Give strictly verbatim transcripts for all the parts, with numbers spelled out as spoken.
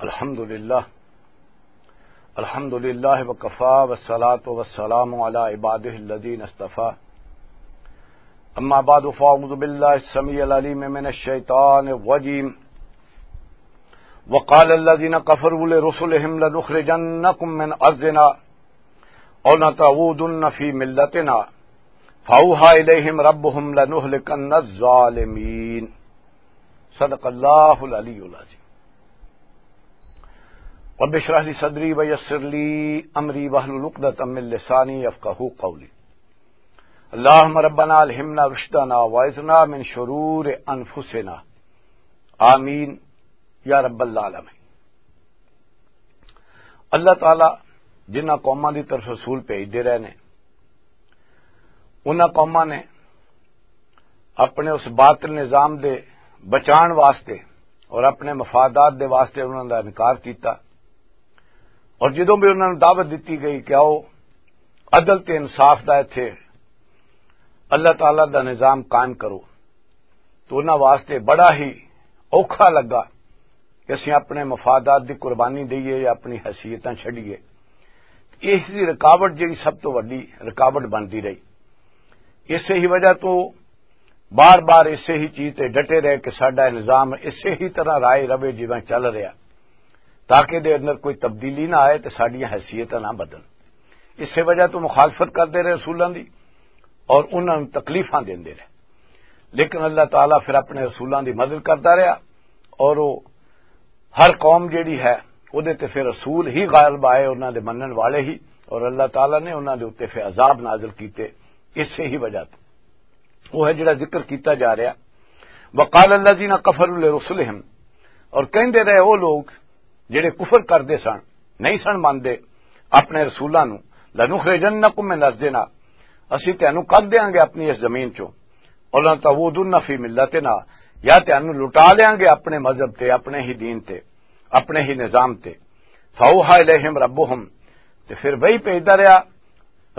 الحمد لله. الحمد لله وكفى والصلاة والسلام على عباده الذين اصطفى. أما بعد فأعوذ بالله السميع العليم من الشيطان الرجيم. وقال الذين كفروا لرسلهم لنخرجنكم من أرضنا أو لتعودن في ملتنا فأوحى إليهم ربهم لنهلكن الظالمين. صدق الله العلي العظيم. رب اشرح لي صدري ويسر لي أمري واحلل عقدة من لساني يفقهوا قولي. اللهم ربنا ألهمنا رشدنا وأعذنا من شرور أنفسنا. آمين يا رب العالمين. اللہ تعالی جنہاں قوماں دی طرف رسول بھیجدے رہے نے، انہاں قوماں نے اپنے اس باطل نظام دے بچان واسطے اور اپنے مفادات دے واسطے انہاں دا انکار کیتا۔ اور جدوں بھی انہاں نوں دعوت دتی گئی کہ آؤ، عدل تے انصاف دا ایتھے اللہ تعالی دا نظام قائم کرو، تو انہاں واسطے بڑا ہی اوکھا لگا کہ اسیں اپنے مفادات دی قربانی دئیے یا اپنی حیثیتاں چھڈیے۔ اس دی رکاوٹ جڑی سب تو وڈی رکاوٹ بنتی رہی۔ اسے ہی وجہ تو بار بار اسے ہی چیز تے ڈٹے رہے کہ ساڈا نظام اسے ہی طرح رائے رہے جویں چل رہا، تاکہ دے اندر کوئی تبدیلی نہ آئے تے ساڈیاں حیثیتاں نہ بدلن۔ اسے وجہ تو مخالفت کردے رہے رسولاں دی اور انہاں نوں تکلیفاں دیندے رہے۔ لیکن اللہ تعالیٰ پھر اپنے رسولاں دی مدد کردا رہیا اور وہ ہر قوم جیڑی ہے، اودے تے پھر رسول ہی غالب آئے، انہاں دے منن والے ہی، اور اللہ تعالیٰ نے انہاں دے اُتے پھر عذاب نازل کیتے۔ اسے ہی وجہ تے وہ ہے جڑا ذکر کیتا جا رہا۔ وقال الذين كفروا لرسلهم، اور کہندے رہے وہ لوگ جڑے کفر کردے سن، نہیں سن مندے اپنے رسولاں نوں، "لنخرجنکم من ارضنا"، اسی تینوں کڈ دیاں گے اپنی اس زمین چوں، "اور لتعودن فی ملتنا"، یا تینوں لٹا لیاں گے اپنے مذہب تے، اپنے ہی دین تے، اپنے ہی نظام تے۔ فاوحى الیہم ربہم، تے پھر وہی بھیجدا رہیا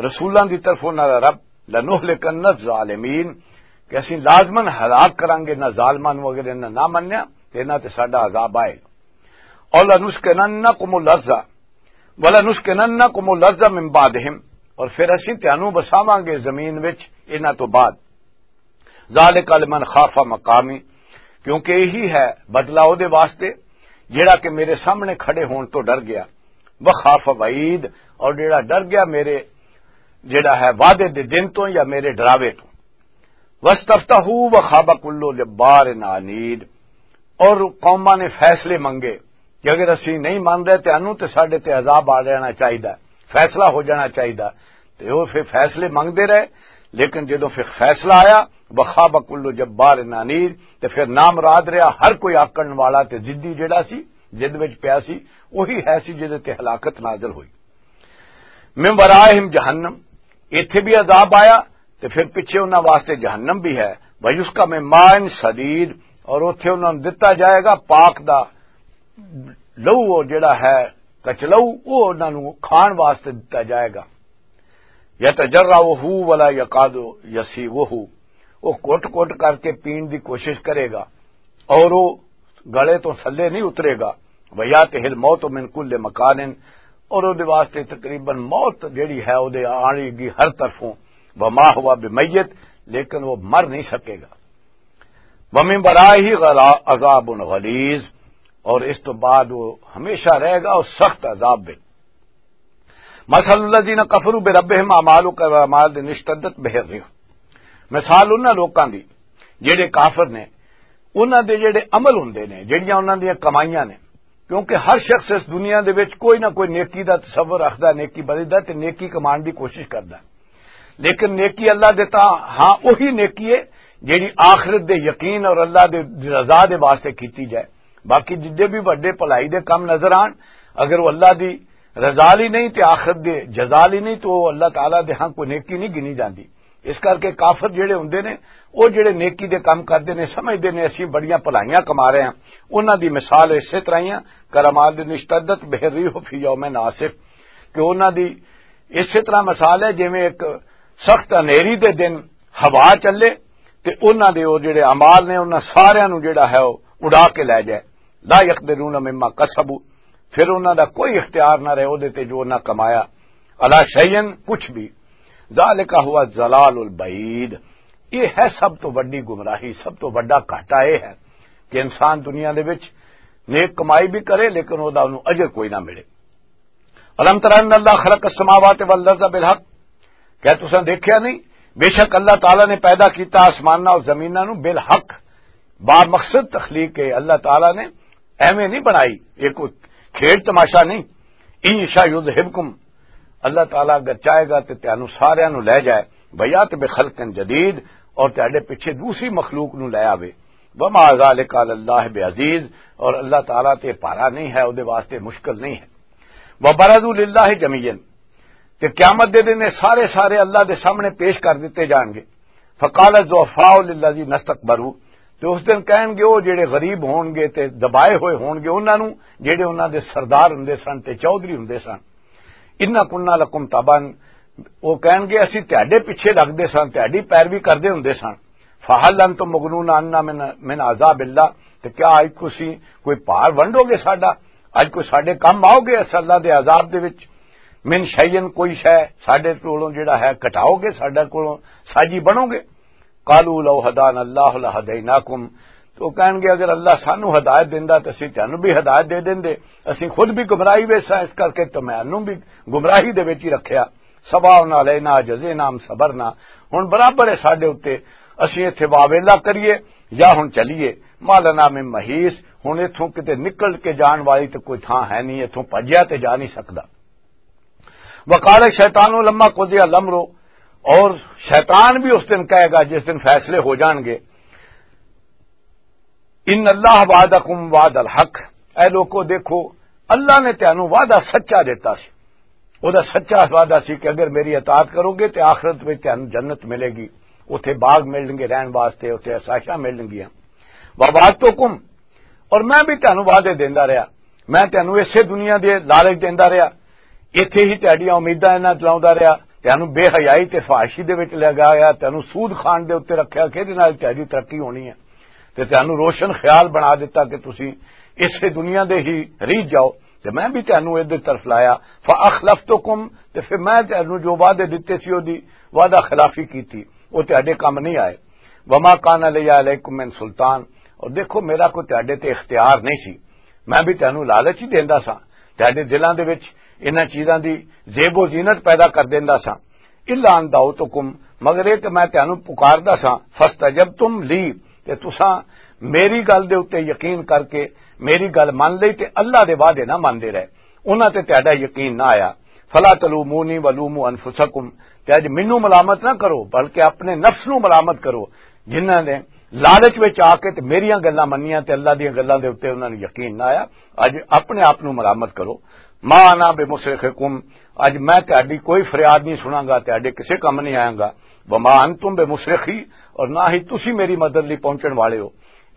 رسولاں دی طرف انہاں دا رب، "لنہلکن الظالمین"، کہ اسی لازماً ہلاک کراں گے انہاں ظالماں نوں، اگر انہاں نہ منیا تے انہاں تے ساڈا عذاب آئے گا۔ "اور لنسکننکم الارض، ولنسکننکم الارض من بعدہم"، اور پھر اسی تانوں بساواں گے زمین وچ انہاں تو بعد۔ "ذالک لمن خاف مقامی"، کیونکہ یہی ہے بدلہ او دے واسطے جڑا کہ میرے سامنے کھڑے ہون تو ڈر گیا۔ "وخاف وعید"، اور جڑا ڈر گیا میرے، جڑا ہے وعدے دے دن تو یا میرے ڈراوے تو۔ "واستفتحوا وخاب کل جبار عنید"، اور قوماں نے فیصلے منگے کہ اگر اسی نہیں مان رہے تے انوں تے ساڈے تے عذاب آ جانا چاہیدا، فیصلہ ہو جانا چاہیدا۔ تے وہ پھر فیصلے منگدے رہے، لیکن جدوں پھر فیصلہ آیا، "وخاب کل جبار عنید"، تے پھر نامراد رہیا ہر کوئی آکڑن والا تے ضدی جڑا سی، ضد وچ پیا سی، وہی ہے سی جدے تے ہلاکت نازل ہوئی۔ "من ورائہم جہنم"، ایتھے بھی عذاب آیا تے پھر پیچھے انہاں واسطے جہنم بھی ہے۔ "ویسقا من ماء صدید"، اور اوتھے انہاں نوں دتا جائے گا پاک دا لہو، وہ جڑا ہے کچلو، وہ انہاں نوں کھان واسطے دتا جائے گا۔ "یتجرعہ ولا یکاد یسیغہ"، وہ کوٹ کوٹ کر کے پین دی کوشش کرے گا اور وہ گلے تو تھلے نہیں اترے گا۔ "ویاتہ الموت من کل مکان"، اور وہ دے واسطے تقریباً موت جڑی ہے وہ دے آنے گی ہر طرفوں۔ "وما ہوا بمیت"، لیکن وہ مر نہیں سکے گا۔ "ومن ورائہ غلا-، عذاب غلیظ"، اور اس تو بعد وہ ہمیشہ رہے گا اور سخت عذاب میں۔ "مثل الذین کفروا بربہم اعمال کراعمال اشتدت بہ الرح"، مثال انہاں لوکاں دی جڑے کافر نے، انہاں دے جڑے عمل ہوندے نے، جڑیاں انہاں دیاں کمائیاں نے، کیونکہ ہر شخص اس دنیا دے وچ کوئی نہ کوئی نیکی دا تصور رکھدا، نیکی بدی دا تے نیکی کمان دی کوشش کردا۔ لیکن نیکی اللہ دے تاں ہاں وہی نیکی ہے جڑی آخرت دے یقین اور اللہ دے رضا دے واسطے کیتی جائے۔ باقی جدے بھی وڈے بھلائی دے کم نظر آن، اگر وہ اللہ دی رضا لئی نہیں تے آخرت دے جزا لئی نہیں، تو وہ اللہ تعالیٰ دے ہاں کوئی نیکی نہیں گنی جاندی۔ اس کر کے کافر جڑے ہوندے نے، وہ جڑے نیکی دے کم کردے نے، سمجھدے نے اسی بڑیاں بھلائیاں کما رہے ہیں، انہاں دی مثال اسے طرح ہی ہے، "کرماد اشتدت بہ الرح فی یوم عاصف"، کہ انہاں دی اسے طرح مثال ہے جویں ایک سخت انہیری دے دن ہوا چلے تے انہاں دے وہ جڑے اعمال نے، انہاں ساریاں نوں جڑا ہے وہ اڑا کے لے جائے۔ لا یقدرون مما کسبوا، پھر انہاں دا کوئی اختیار نہ رہے اودے تے جو انہاں کمایا، علی شیئن، کچھ بھی۔ ذالک ہوا الضلال البعید، یہ ہے سب تو وڈی گمراہی، سب تو وڈا گھاٹا یہ ہے کہ انسان دنیا دے وچ نیک کمائی بھی کرے لیکن او دا انہوں اجر کوئی نہ ملے۔ الم تر ان اللہ خلق السماوات والارض بالحق، کیا تساں دیکھیا نہیں؟ بے شک اللہ تعالیٰ نے پیدا کیتا آسماناں اور زمیناں نو بالحق، با مقصد تخلیق ہے۔ اللہ تعالیٰ نے ایویں نہیں بنائی، یہ کوئی کھیڈ تماشا نہیں۔ ان یشاء یذہبکم، اللہ تعالیٰ اگر چاہے گا تے تانوں ساریاں نو لے جائے، ویات بخلق جدید، اور تہاڈے پیچھے دوسری مخلوق نو لے آوے۔ وما ذالک علی اللہ بعزیز، اور اللہ تعالیٰ تے بھارا نہیں ہے، اودے واسطے مشکل نہیں ہے۔ وبرزوا للہ جمیعا، تے قیامت دے دن یہ سارے سارے اللہ دے سامنے پیش کر دتے جان گے۔ فقال الضعفاء للذین استکبروا، تے اس دن کہن گے وہ جڑے غریب ہون گے تے دبائے ہوئے ہون گے انہاں نوں، جڑے انہاں دے سردار ہوندے سن تے چودھری ہوندے سن، ان کنا لکم تبعا، وہ کہن گے اسی تہاڈے پیچھے لگدے سن، تہاڈی پیروی کردے ہوندے سن۔ فہل انتم مغنون عنا من، من عذاب اللہ، تے کیا اج تسی کوئی بھار ونڈو گے ساڈا؟ اج کوئی ساڈے کم آؤ گے اس اللہ دے عذاب دے وچ؟ من شیئن، کوئی شے ساڈے کولوں جڑا ہے گھٹاؤ گے، ساڈے کولوں ساجی بنو گے؟ قالوا لو ہدانا اللہ لہدیناکم، تو کہن گے اگر اللہ سانو ہدایت دیندا تے اسی تانوں بھی ہدایت دے دیندے۔ اسی خود بھی گمراہی وچ ساں، اس کر کے تمہانوں بھی گمراہی دے وچ ہی رکھیا۔ سواء علینا جزینا ام صبرنا، ہن برابر ہے ساڈے اُتے، اسی ایتھے واویلا کریے یا ہن چلیے۔ ما لنا من محیص، ہن ایتھوں کتے نکل کے جان والی تے کوئی تھاں ہے نہیں، ایتھوں بھجیا تے جا نہیں سکدا۔ وقال الشیطان لما قضی الامر، اور شیطان بھی اس دن کہے گا جس دن فیصلے ہو جان گے، ان اللہ وعدکم وعد الحق، اے لوکو دیکھو، اللہ نے تانوں وعدہ سچا دیتا سی۔ او دا سچا وعدہ سی کہ اگر میری اطاعت کرو گے تے آخرت وچ تانوں جنت ملے گی، اوتھے باغ ملن گے رہن واسطے، اوتھے عشائشاں ملن گیاں۔ ووعدتکم، اور میں بھی تانوں وعدے دیندا رہیا، میں تانوں اسے دنیا دے لالچ دیندا رہیا، ایتھے ہی تہاڈیاں امیداں انہاں دلاوندا رہیا، تانوں بے حیائی تے فحاشی دے وچ لگایا، تانوں سود کھان دے اُتے رکھیا کہ ایہدے نال تہاڈی ترقی ہونی ہے، تے تانوں روشن خیال بنا دتا کہ تسی اسے دنیا دے ہی ریت جاؤ، تے میں بھی تانوں ادھر طرف لایا۔ فاخلفتکم، تے پھر میں تانوں جو وعدے دتے سی، اوہدی وعدہ خلافی کیتی، او تہاڈے کم نہیں آئے۔ وما کان لی علیکم من سلطان، اور دیکھو میرا کوئی تہاڈے تے اختیار نہیں سی، میں بھی تانوں لالچ ہی دیندا سا، تہاڈے دلاں دے وچ انہاں چیزاں دی زیب و زینت پیدا کر دیندا سا۔ الا ان دعوتکم، مگر یہ کہ میں تانوں پکاردا سا، فاستجبتم لی، تے تساں میری گل دے اُتے یقین کر کے میری گل من لئی تے اللہ دے وعدے نہ مندے رہے، انہاں تے تہاڈا یقین نہ آیا۔ فلا تلومونی ولوموا انفسکم، تے اج مینوں ملامت نہ کرو بلکہ اپنے نفس نوں ملامت کرو، جنہاں نے لالچ وچ آ کے تے میریاں گلاں منیاں تے اللہ دیاں گلاں دے اُتے انہاں نوں یقین نہ آیا۔ اج اپنے آپ نوں ملامت کرو۔ ما انا بمصرخکم، اج میں تہاڈی کوئی فریاد نہیں سناں گا، تہاڈے کسے کم نہیں آیاں گا۔ وما انتم بمصرخی، اور نہ ہی تسی میری مدد لئی پہنچن والے ہو۔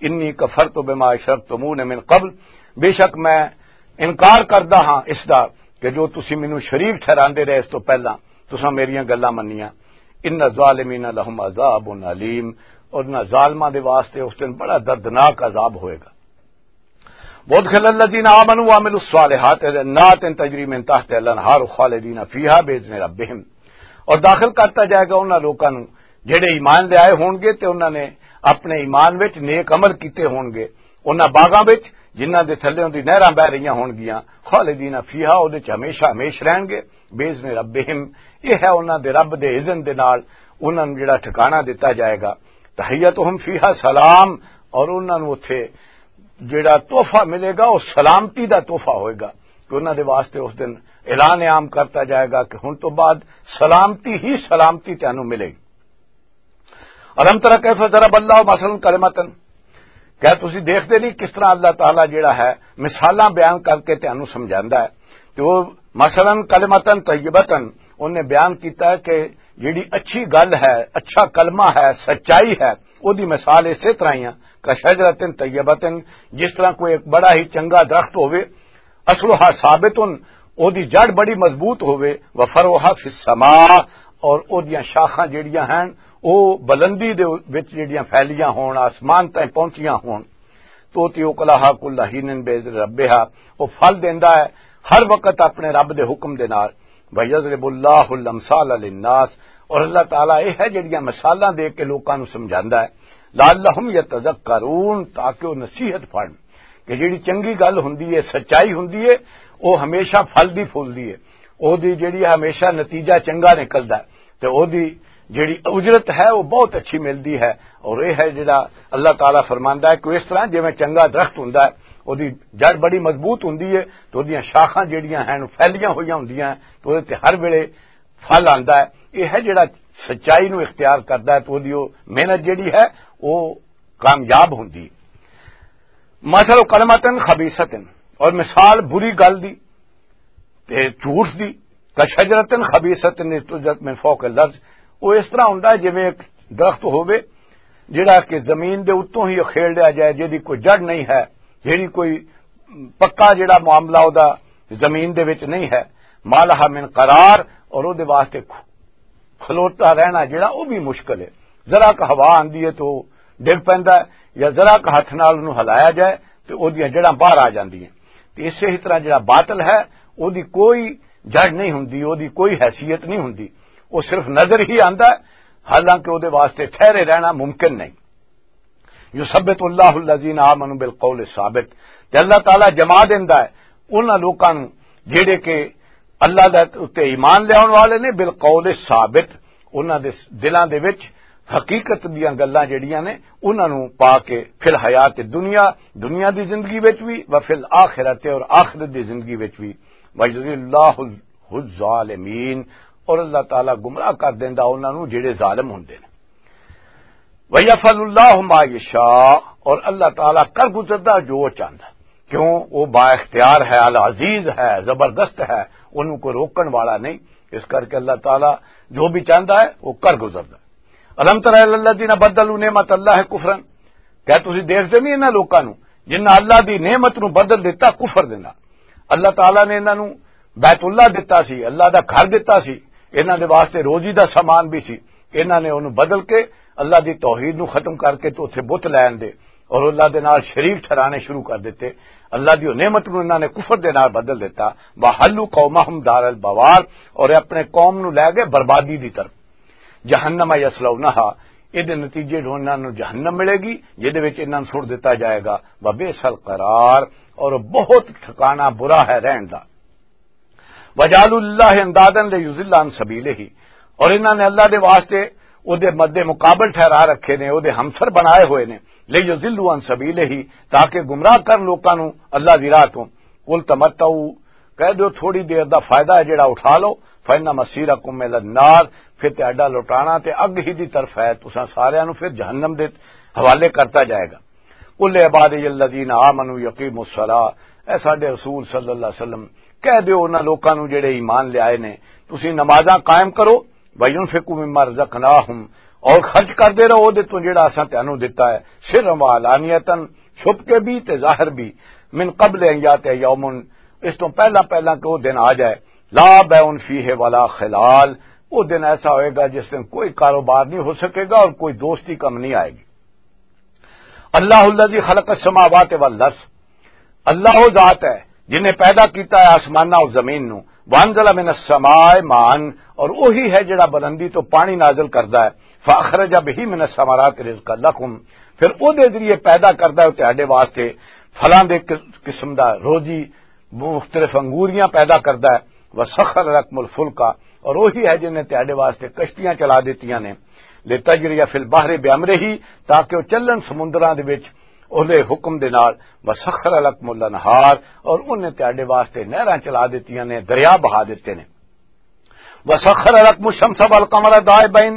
انی کفرت بما اشرکتمون من قبل، بے شک میں انکار کردا ہاں اس دا کہ جو تسی مینوں شریک ٹھہراندے رہے اس تو پہلاں، تساں میریاں گلاں منیاں۔ ان الظالمین لهم عذاب علیم، اور انہاں ظالماں دے واسطے اس دن بڑا دردناک عذاب ہوئے گا۔ وادخل الذین آمنوا وعملوا الصالحات جنات تجری من تحتها الانہار خالدین فیہا باذن ربہم، اور داخل کرتا جائے گا انہاں لوکاں نوں جڑے ایمان لے آئے ہون گے تے انہاں نے اپنے ایمان وچ نیک عمل کیتے ہون گے، انہاں باغاں وچ جنہاں دے تھلے دی نہراں بہ رہیاں ہون گیاں، خالدین فیہا، اودے چ ہمیشہ ہمیش رہن گے، باذن ربہم، یہ ہے انہاں دے رب دے اذن دے نال انہاں نوں جڑا ٹھکانہ دتا جائے گا۔ تحیتہم فیہا سلام، اور انہاں نوں اوتھے جڑا تحفہ ملے گا، وہ سلامتی دا تحفہ ہوئے گا کہ انہاں دے واسطے اس دن اعلان عام کرتا جائے گا کہ ہن تو بعد سلامتی ہی سلامتی تینوں ملے گی۔ الم تر کیف ضرب اللہ مثلا کلمۃ، کیا تسی دیکھتے نہیں کس طرح اللہ تعالیٰ جڑا ہے مثالاں بیان کر کے تینوں سمجھاندا ہے؟ تو وہ مثلا کلمۃ طیبۃ، انہیں بیان کیتا ہے کہ جڑی اچھی گل ہے، اچھا کلمہ ہے، سچائی ہے، او دی مثال اسی طرح ہی ہے، کشجرۃ طیبۃ، جس طرح کوئی ایک بڑا ہی چنگا درخت ہووے، اصلها ثابت، او دی جڑ بڑی مضبوط ہووے، وفرعها فی السماء، اور او دیاں شاخاں جڑیاں ہیں او بلندی دے وچ جڑیاں پھیلیاں ہون، آسمان تائیں پہنچیاں ہون۔ توتی اکلہا کل حین باذن ربہا، وہ پھل دیندا ہے ہر وقت اپنے رب دے حکم دے نال۔ وَيَضْرِبُ اللَّهُ الْأَمْثَالَ لِلنَّاسِ، اور اللہ تعالیٰ یہ ہے جڑیاں مثالاں دے کے لوکاں نوں سمجھاندا ہے، لَعَلَّهُمْ يَتَذَكَّرُونَ، تاکہ وہ نصیحت پڑھن کہ جڑی چنگی گل ہوندی ہے، سچائی ہوندی ہے، وہ ہمیشہ پھل دی پھول دی ہے، وہ دی جڑی ہمیشہ نتیجہ چنگا نکلدا ہے، تے وہ دی جڑی اجرت ہے وہ بہت اچھی ملدی ہے۔ اور یہ ہے جڑا اللہ تعالیٰ فرماندا ہے کہ اس طرح جویں چنگا درخت ہوندا ہے، وہ دی جڑ بڑی مضبوط ہوندی ہے، تو وہ دیاں شاخاں جڑیاں ہیں پھیلیاں ہوئیاں ہوندیاں ہیں، تو وہ تے ہر ویلے پھل آندا ہے۔ یہ ہے جڑا سچائی نو اختیار کردا ہے تو وہ دی وہ محنت جڑی ہے وہ کامیاب ہوندی ہے۔ مثل کلمتن خبیثتن، اور مثال بری گل دی تے جھوٹ دی، کشجرتن خبیثتن اجتثت من فوق الارض، وہ اس طرح ہوندا ہے جویں ایک درخت ہووے جڑا کہ زمین دے اتوں ہی اکھیڑ لیا جائے، جہدی کوئی جڑ نہیں ہے، جہدی کوئی پکا جڑا معاملہ او دا زمین دے وچ نہیں ہے، ما لہا من قرار، اور او دے واسطے کھ-، کھلوتا رہنا جڑا او بھی مشکل ہے۔ ذرا ک ہوا آندی ہے تو ڈگ پیندا ہے، یا ذرا ک ہتھ نال اونوں ہلایا جائے تے او دیاں جڑاں باہر آ جاندیاں۔ تے اسے ہی طرح جڑا باطل ہے، او دی کوئی جڑ نہیں ہوندی، او دی کوئی حیثیت نہیں ہوندی، او صرف نظر ہی آندا ہے، حالانکہ او دے واسطے ٹھہرے رہنا ممکن نہیں۔ یثبت اللہ الذین آمنوا بالقول الثابت، تے اللہ تعالیٰ جما دیندا ہے انہاں لوکاں نوں جڑے کہ اللہ دے اُتے ایمان لیاون والے نے، بالقول الثابت، انہاں دے دلاں دے وچ حقیقت دیاں گلاں جڑیاں نے انہاں نوں پا کے، فی الحیات دنیا، دنیا دی زندگی وچ بھی، و فی الآخرت، اور آخرت دی زندگی وچ بھی، وَيُضِلُّ اللَّهُ الظَّالِمِينَ، اور اللہ تعالیٰ گمراہ کر دیندا انہاں نوں جڑے ظالم ہوندے نے۔ وَيَفْعَلُ اللَّهُ مَا يَشَاءُ، اور اللہ تعالیٰ کر گزردا جو وہ چاہندا ہے۔ کیوں؟ وہ با اختیار ہے، العزیز ہے، زبردست ہے، انہوں کو روکن والا نہیں۔ اس کر کے اللہ تعالیٰ جو بھی چاہندا ہے وہ کر گزردا ہے۔ الم تر الی الذین بدلوا نعمت اللہ کفرا، کیا تسی دیکھدے نہیں انہاں لوکاں نوں جنہاں اللہ دی نعمت نوں بدل دتا کفر دے نال؟ اللہ تعالیٰ نے انہاں نوں بیت اللہ دتا سی، اللہ دا گھر دتا سی، انہاں دے واسطے روزی دا سامان بھی سی، انہاں نے انہوں بدل کے اللہ دی توحید نوں ختم کر کے تو اتھے بت لے آندے اور اللہ دے نال شریک ٹھہرانے شروع کر دتے۔ اللہ دی او نعمت نوں انہاں نے کفر دے نال بدل دتا۔ وَحَلُّوا قَوْمَهُمْ دَارَ الْبَوَارِ، اور اپنے قوم نوں لے گئے بربادی دی طرف۔ جہنم یصلونہا، اے دے نتیجے جو انہاں نوں جہنم ملے گی، جے دے وچ انہاں نوں سٹ دتا جائے گا۔ وبئس القرار، اور بہت ٹھکانہ برا ہے رہن دا۔ وجعلوا للہ اندادا لیضلوا عن سبیلہ، اور انہاں نے اللہ دے واسطے او دے مد مقابل ٹھہرا رکھے نے، او دے ہمسر بنائے ہوئے نے، لیضلوا عن سبیلہ، تاکہ گمراہ کرن لوکاں نوں اللہ دی راہ تو۔ قل تمتعوا، کہہ دیو تھوڑی دیر دا فائدہ ہے جڑا اٹھا لو، فإن مصيركم إلى النار، پھر تہاڈا لوٹانا تے اگ ہی دی طرف ہے، تساں ساریاں نوں پھر جہنم دے حوالے کرتا جائے گا۔ قل لعبادي الذين آمنوا يقيموا الصلاة، اے ساڈے رسول صلی اللہ علیہ وسلم، کہہ دیو انہاں لوکاں نوں جڑے ایمان لے آئے نے، تسی نمازاں قائم کرو، وَيُنْفِقُوا مِمَّا رَزَقْنَاهُمْ، اور خرچ کردے رہو اودے تو جڑا اساں تانوں دتا ہے، سرا وعلانیتا، چھپ کے بھی تے ظاہر بھی، من قبل ان یاتیہ یوم، اس تو پہلا پہلا کہ وہ دن آ جائے، لا بیع فیہ ولا خلال، وہ دن ایسا ہوئے گا جس دن کوئی کاروبار نہیں ہو سکے گا اور کوئی دوستی کم نہیں آئے گی۔ اللہ الذی خلق السماوات والارض، اللہ وہ ذات ہے جن نے پیدا کیتا ہے آسماناں اور زمین نو، وانزل من السماء ماء، اور وہی ہے جڑا بلندی تو پانی نازل کردا ہے، فاخرج به من الثمرات رزقا لکم، پھر او دے ذریعے پیدا کردا ہے تہاڈے واسطے پھلاں دے قس-، قسم دا روزی، مختلف انگوریاں پیدا کردا ہے، وسخر لکم الفلک، اور وہی ہے جن نے تہاڈے واسطے کشتیاں چلا دتیاں نے، لتجری فی البحر بامرہ، تاکہ وہ چلن سمندراں دے وچ اودے حکم دے نال، وسخر لکم الانہار، اور انہیں تہاڈے واسطے نہراں چلا دتیاں نے، دریا بہا دتے نے۔ وسخر لکم الشمس والقمر دائبین،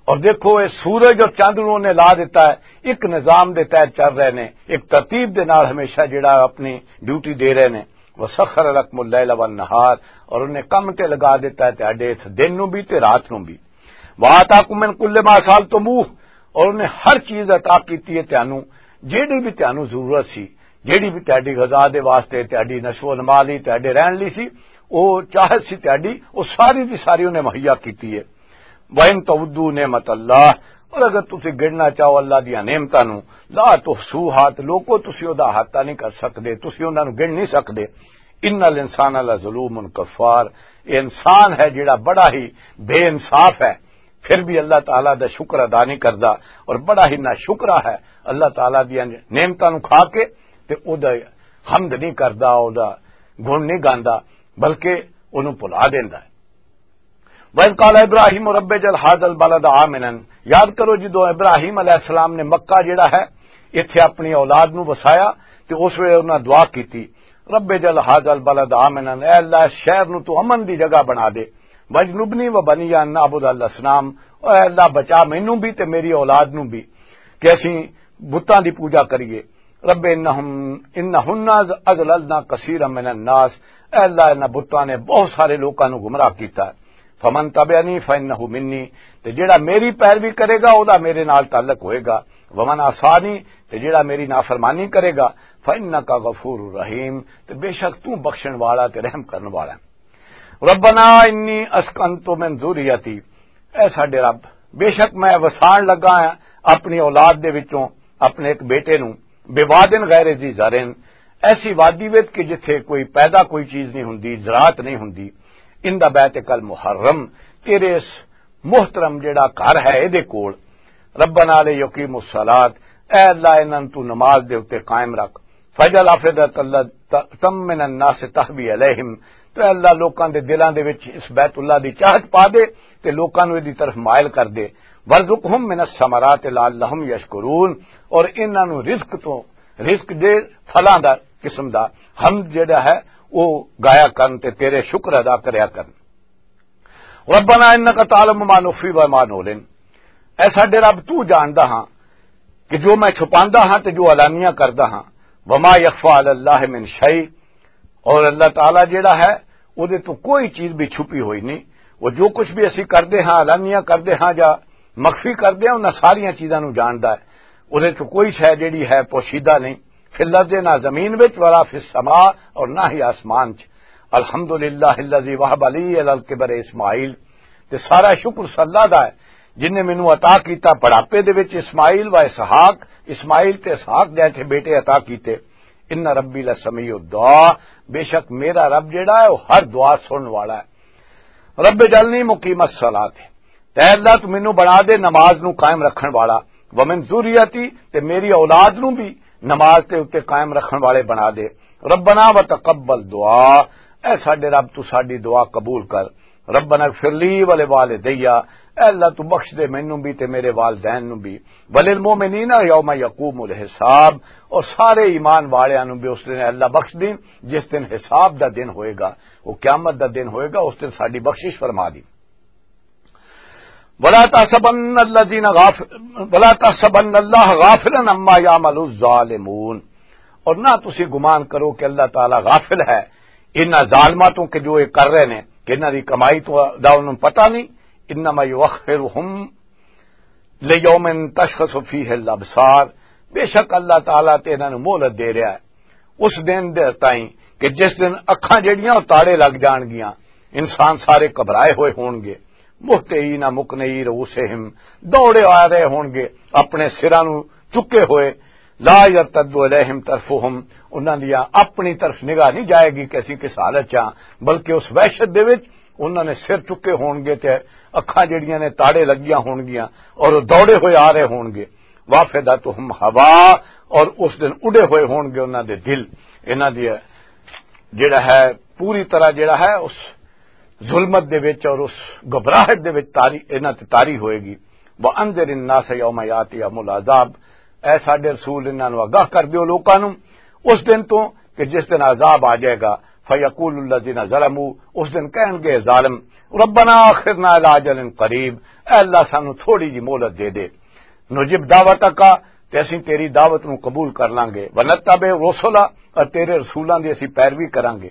اور دیکھو یہ سورج اور چاند نوں انہیں لا دیتا ہے، ایک نظام دے تحت چل رہے نے، ایک ترتیب دے نال ہمیشہ جڑا اپنی ڈیوٹی دے رہے نے۔ وسخر لکم اللیل والنہار، اور انہیں کم تے لگا دیتا ہے تہاڈے اس دن نوں بھی تے رات نوں بھی۔ وآتاکم من کل ما سألتموہ، اور انہیں ہر چیز عطا کیتی ہے تانوں، جیڑی بھی تانوں ضرورت سی، جیڑی بھی تہاڈی غذا دے واسطے، تہاڈی نشو و نما لئی، تہاڈے رہن لئی سی، او چاہت سی تہاڈی، او ساری دی ساری انہیں مہیا کیتی ہے۔ وَإِن تَعُدُّوا نِعْمَتَ اللَّهِ، اور اگر تسی گننا چاہو اللہ دیاں نعمتاں نوں، لَا تُحْصُوهَا، تے لوکو، تسی او دا احاطہ نہیں کر سکدے، تسی انہاں نوں گن نہیں سکدے۔ إِنَّ الْإِنسَانَ لَظَلُومٌ كَفَّارٌ، یہ انسان ہے جڑا بڑا ہی بے انصاف ہے، پھر بھی اللہ تعالیٰ دا شکر ادا نہیں کردا، اور بڑا ہی ناشکرا ہے اللہ تعالیٰ دیاں نعمتاں نوں کھا کے، تے او دا حمد نہیں کردا، او دا گن نہیں گاندا، بلکہ اونوں بھلا دیندا ہے۔ وَإِذْ قَالَ إِبْرَاهِيمُ رَبِّ اجْعَلْ هَٰذَا الْبَلَدَ آمِنًا، یاد کرو جدوں ابراہیم علیہ السلام نے مکہ جڑا ہے، ایتھے اپنی اولاد نوں وسایا، تے اس ویلے انہاں دعا کیتی، رَبِّ اجْعَلْ هَٰذَا الْبَلَدَ آمِنًا، اے اللہ، اس شہر نوں تو امن دی جگہ بنا دے، وَاجْنُبْنِي وَبَنِيَّ أَن نَّعْبُدَ الْأَصْنَامَ، اے اللہ، بچا مینوں بھی تے میری اولاد نوں بھی کہ اسی بتاں دی پوجا کریے۔ رب انہم، انہن اضللن کثیرا من الناس، اے اللہ، انہاں بتاں نے بہت سارے لوکاں نوں گمراہ کیتا ہے۔ فمن تبعنی فانہ منی، تے جیڑا میری پیروی کرے گا، او دا میرے نال تعلق ہوئے گا۔ ومن عصانی، تے جیڑا میری نافرمانی کرے گا، فانک غفور رحیم، تے بے شک تو بخشن والا تے رحم کرن والا ہے۔ ربنا انی اسکنت من ذریتی، اے ساڈے رب، بے شک میں وسان لگا ہاں اپنی اولاد دے وچوں اپنے ایک بیٹے نوں، بوادن غیر ذی زرعن، ایسی وادی وچ کہ جتھے کوئی پیدا کوئی چیز نہیں ہوندی، زراعت نہیں ہوندی، ان دا بیت کل محرم، تیرے اس محترم جڑا گھر ہے اے دے کول، ربنا لیقیموا الصلاۃ، اے اللہ انہاں نوں تو نماز دے اُتے قائم رکھ، فاجعل افئدۃ من الناس تهوی الیہم، تو اے اللہ لوکاں دے دلاں دے وچ اس بیت اللہ دی چاہت پا دے تے لوکاں نوں دی طرف مائل کر دے، وارزقہم من الثمرات لعلہم یشکرون، اور انہاں نوں رزق تو، رزق دے پھلاں دا قسم دا حمد جڑا ہے او گایا کرن تے تیرے شکر ادا کریا کرن۔ ربنا انک تعلم ما نخفی و ما نعلن، اے ساڈے رب تو جاندا ہاں کہ جو میں چھپاندا ہاں تے جو اعلانیہ کردا ہاں، وما یخفی علی اللہ من شیء، اور اللہ تعالیٰ جیڑا ہے، او دے تو کوئی چیز بھی چھپی ہوئی نہیں۔ وہ جو کچھ بھی اسی کردے ہاں، اعلانیہ کردے ہاں یا مخفی کردے ہاں، انہاں ساریاں چیزاں نوں جاندا ہے۔ او دے تو کوئی شے جیڑی ہے پوشیدہ نہیں۔ فی الارض، نہ زمین وچ، ولا فی السماء، اور نہ ہی آسمان چ۔ الحمدللہ الذی وہب علی علی الکبر اسماعیل، تے سارا شکر اس اللہ دا ہے جن نے مینوں عطا کیتا بڑھاپے دے وچ اسماعیل و اسحاق، اسماعیل تے اسحاق جیسے بیٹے عطا کیتے۔ ان ربی لسمیع الدعاء، بے شک میرا رب جیڑا ہے وہ ہر دعا سنن والا ہے۔ رب اجعلنی مقیم الصلاۃ، تے اللہ تو مینوں بنا دے نماز نو قائم رکھن والا، ومن ذریتی، تے میری اولاد نو بھی نماز تے اُتے قائم رکھن والے بنا دے۔ ربنا وتقبل دعا، اے ساڈے رب تو ساڈی دعا قبول کر۔ ربنا اغفر لی ولوالدی، اے اللہ تو بخش دے مینوں بھی تے میرے والدین نو بھی۔ وللمؤمنین یوم یقوم الحساب، اور سارے ایمان والیاں نو بھی اس دن اللہ بخش دین جس دن حساب دا دن ہوئے گا، وہ قیامت دا دن ہوئے گا، اس دن ساڈی بخشش فرما دی۔ ولا تحسبن الذين غافل ولا تحسبن الله غافلا عما يعمل الظالمون، اور نہ تسی گمان کرو کہ اللہ تعالیٰ غافل ہے انہاں ظالماں تو کہ جو یہ کر رہے نے، کہ انہاں دی کمائی تو دا انہوں پتہ نہیں۔ انما یؤخرهم لیوم تشخص فیہ الابصار، بے شک اللہ تعالیٰ تے انہاں نوں مہلت دے رہا ہے اس دن دے تائیں کہ جس دن اکھاں جڑیاں او تاڑے لگ جان گیاں، انسان سارے گھبرائے ہوئے ہون گے، مہتعین مقنعی رؤوسہم، دوڑے آ رہے ہون گے اپنے سراں نوں چکے ہوئے، لا یرتد الیہم طرفہم، انہاں دی اپنی طرف نگاہ نہیں جائے گی کہ اسی کس حالت چ ہاں، بلکہ اس وحشت دے وچ انہاں نے سر چکے ہون گے تے اکھاں جڑیاں نے تاڑے لگیاں ہون گیاں اور او دوڑے ہوئے آ رہے ہون گے۔ وافدتہم ہوا، اور اس دن اڈے ہوئے ہون گے انہاں دے دل، انہاں دی جڑا ہے پوری طرح جڑا ہے اس ظلمت دے وچ اور اس گھبراہٹ دے وچ تاری، انہاں تے تاری ہوئے گی۔ وانذر الناس یوم یاتیہم العذاب، اے ساڈے رسول، انہاں نوں آگاہ کر دیو لوکاں نوں اس دن تو کہ جس دن عذاب آ جائے گا۔ فیقول الذین ظلموا، اس دن کہن گے ظالم، ربنا اخرنا الی اجل قریب، اے اللہ سانو تھوڑی جی مہلت دے دے، نجب دعوتک، تے اسیں تیری دعوت نو قبول کر لانگے، ونتبع رسلا، اور تیرے رسولاں دی اسیں پیروی کرانگے۔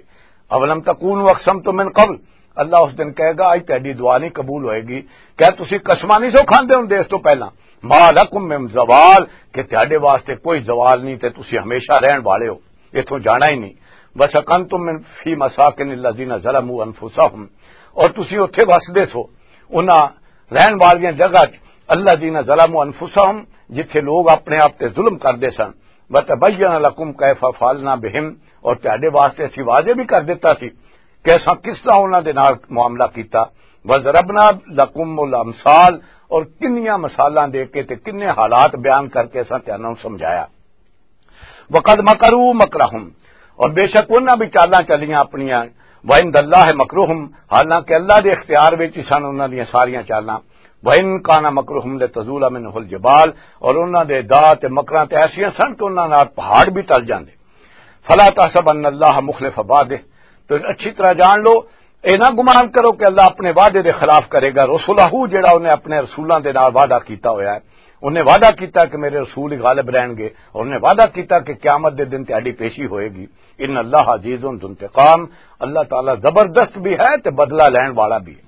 اولم تکونوا اقسمتم من قبل، اللہ اس دن کہے گا، اج تہاڈی دعا نہیں قبول ہوئے گی، کیا تسی قسماں نہیں سو کھاندے ہوندے اس تو پہلاں؟ ما لکم من زوال، کہ تہاڈے واسطے کوئی زوال نہیں تے تسی ہمیشہ رہن والے ہو، اتھوں جانا ہی نہیں۔ وسکنتم من فی مساکن الذین ظلموا انفسہم، اور تسی اتھے وسدے سو انہاں رہن والیاں جگہ چ، الذین ظلموا انفسہم، جتھے لوگ اپنے آپ تے ظلم کردے سن، وتبین لکم کیف فعلنا بہم، اور تہاڈے واسطے اسی واضح بھی کر دیتا سی کہ اساں کس طرح انہاں دے نال معاملہ کیتا۔ وضربنا لکم الامثال، اور کنیاں مثالاں دے کے تے کنے حالات بیان کر کے اساں تہانوں سمجھایا۔ وقد مکروا مکرہم، اور بے شک انہاں بھی چالاں چلیاں اپنیاں۔ وعند اللہ مکرہم، حالانکہ اللہ دے اختیار وچ ہی سن انہاں دیاں ساریاں چالاں۔ وان کان مکرہم لتزول منہ الجبال، اور انہاں دے داع تے مکراں تے ایسیاں سن کہ انہاں نال پہاڑ بھی ٹل جاندے۔ فلا تحسبن اللہ مخلف وعدہ، تو اچھی طرح جان لو، اے نہ گمان کرو کہ اللہ اپنے وعدے دے خلاف کرے گا۔ رسولہ، جڑا انہیں اپنے رسولاں دے نال وعدہ کیتا ہویا ہے، انہیں وعدہ کیتا کہ میرے رسول ہی غالب رہن گے، اور انہیں وعدہ کیتا کہ قیامت دے دن تہاڈی پیشی ہوئے گی۔ ان اللہ عزیز ذو انتقام، اللہ تعالیٰ زبردست بھی ہے تے بدلہ لین والا بھی ہے۔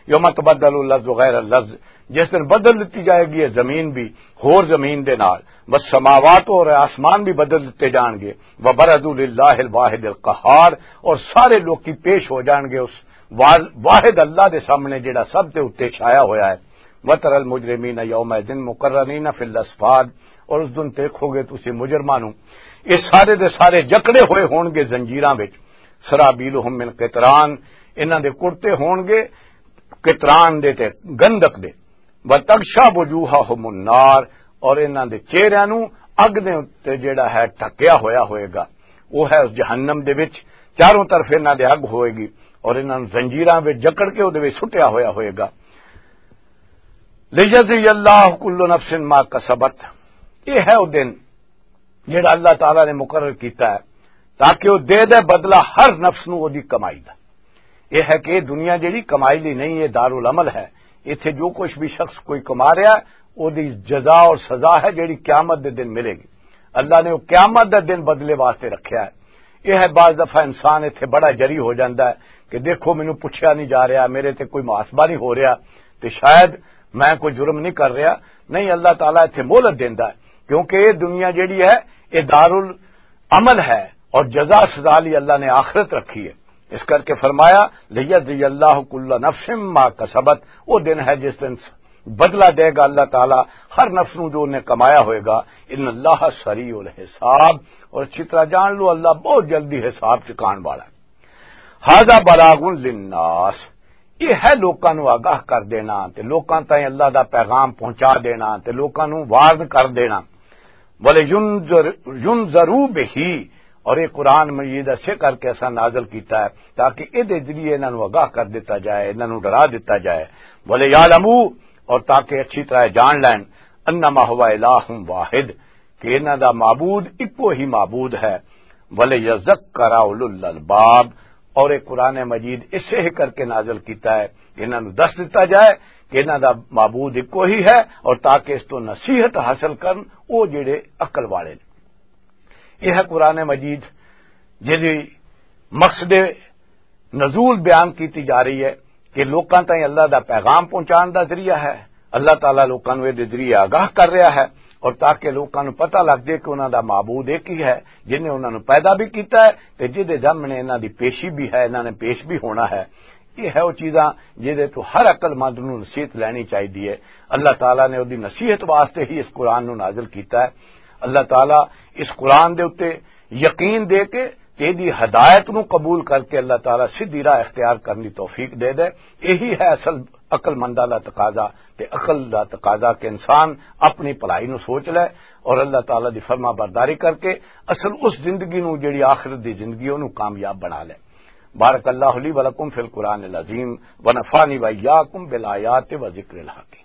یوم تبدل الارض غیر الارض، جس دن بدل دتی جائے گی یہ زمین بھی ہور زمین دے نال، والسماوات، اور آسمان بھی بدل دتے جان گے، وبرزوا للہ الواحد القہار، اور سارے لوکی پیش ہو جان گے اس وا-، واحد اللہ دے سامنے جڑا سب دے اُتے چھایا ہویا ہے۔ وتر المجرمین یومئذ مقرنین فی الاصفاد، اور اس دن دیکھو گے تسی مجرماں نوں، یہ سارے دے سارے جکڑے ہوئے ہون گے زنجیراں وچ۔ سرابیلہم من قطران، انہاں دے کرتے ہون گے قطران دے تے گندک دے۔ وتغشا وجوہہم النار، اور انہاں دے چہریاں نوں اگ دے اُتے جڑا ہے ٹھکیا ہویا ہوئے گا، وہ ہے اس جہنم دے وچ، چاروں طرف انہاں دے اگ ہوئے گی، اور انہاں نوں زنجیراں وچ جکڑ کے او دے وچ سٹیا ہویا ہوئے گا۔ لیجزی اللہ کل نفس ما کسبت، یہ ہے وہ دن جڑا اللہ تعالیٰ نے مقرر کیتا ہے، تاکہ وہ دے دے بدلہ ہر نفس نوں وہ دی کمائی دا۔ یہ ہے کہ یہ دنیا جڑی کمائی لی نہیں، یہ دارالعمل ہے۔ ایتھے جو کچھ بھی شخص کوئی کما رہا ہے، وہ دی جزا اور سزا ہے جڑی قیامت دے دن ملے گی۔ اللہ نے وہ قیامت دے دن بدلے واسطے رکھیا ہے۔ یہ ہے بعض دفعہ انسان ایتھے بڑا جری ہو جاندا ہے کہ دیکھو مینوں پوچھیا نہیں جا رہا، میرے تے کوئی محاسبہ نہیں ہو رہا، تے شاید میں کوئی جرم نہیں کر رہا۔ نہیں، اللہ تعالیٰ ایتھے مہلت دیندا ہے، کیونکہ یہ دنیا جڑی ہے، یہ دارالعمل ہے، اور جزا سزا لی اللہ نے آخرت رکھی ہے۔ اس کر کے فرمایا، لیجزی اللہ کل نفس ما کسبت، وہ دن ہے جس دن بدلہ دے گا اللہ تعالیٰ ہر نفس نوں جو انہیں کمایا ہوئے گا۔ ان اللہ سریع الحساب، اور اچھی طرح جان لو اللہ بہت جلدی حساب چکان والا ہے۔ ھذا بلاغ للناس، یہ ہے لوکاں نوں آگاہ کر دینا تے لوکاں تائیں اللہ دا پیغام پہنچا دینا تے لوکاں نوں وارن کر دینا۔ وَلِيُنذِرُوا بِهِ، اور یہ قرآن مجید اسے کر کے اساں نازل کیتا ہے تاکہ اے دے ذریعے انہاں نوں آگاہ کر دیتا جائے، انہاں نوں ڈرا دیتا جائے۔ وَلِيَعْلَمُوا، اور تاکہ اچھی طرح جان لین، انما هو الہ واحد، کہ انہاں دا معبود اکو ہی معبود ہے۔ وَلِيَذَّكَّرَ أُولُو الْأَلْبَابِ، اور ایک قرآن مجید اسے ہی کر کے نازل کیتا ہے کہ انہاں نوں دس دتا جائے کہ انہاں دا معبود اکو ہی ہے، اور تاکہ اس تو نصیحت حاصل کرن او جڑے عقل والے نے۔ یہ ہے قرآن مجید جس دی مقصد نزول بیان کیتی جا رہی ہے کہ لوکاں تائیں اللہ دا پیغام پہنچان دا ذریعہ ہے۔ اللہ تعالیٰ لوکاں نوں اے دے ذریعے آگاہ کر رہا ہے، اور تاکہ لوکاں نوں پتہ لگ جائے کہ انہاں دا معبود ایک ہی ہے، جن نے انہاں نوں پیدا بھی کیتا ہے تے جس دے سامنے انہاں دی پیشی بھی ہے، انہاں نے پیش بھی ہونا ہے۔ یہ ہے وہ چیزاں جہدے تو ہر عقل مند نوں نصیحت لینی چاہیے۔ اللہ تعالیٰ نے اودی نصیحت واسطے ہی اس قرآن نوں نازل کیتا ہے۔ اللہ تعالیٰ اس قرآن دے اُتے یقین دے کے تے دی ہدایت نوں قبول کر کے اللہ تعالیٰ سیدھی راہ اختیار کرن دی توفیق دے دے۔ یہی ہے اصل عقل منداں دا تقاضا، تے عقل دا تقاضا کہ انسان اپنی بھلائی نوں سوچ لے اور اللہ تعالیٰ دی فرما برداری کر کے اصل اس زندگی نوں، جڑی آخرت دی زندگی، انہوں کامیاب بنا لے۔ بارک اللہ لی ولکم فی القرآن العظیم، ونفعنی وإیاکم بالآیات و ذکر الحکیم۔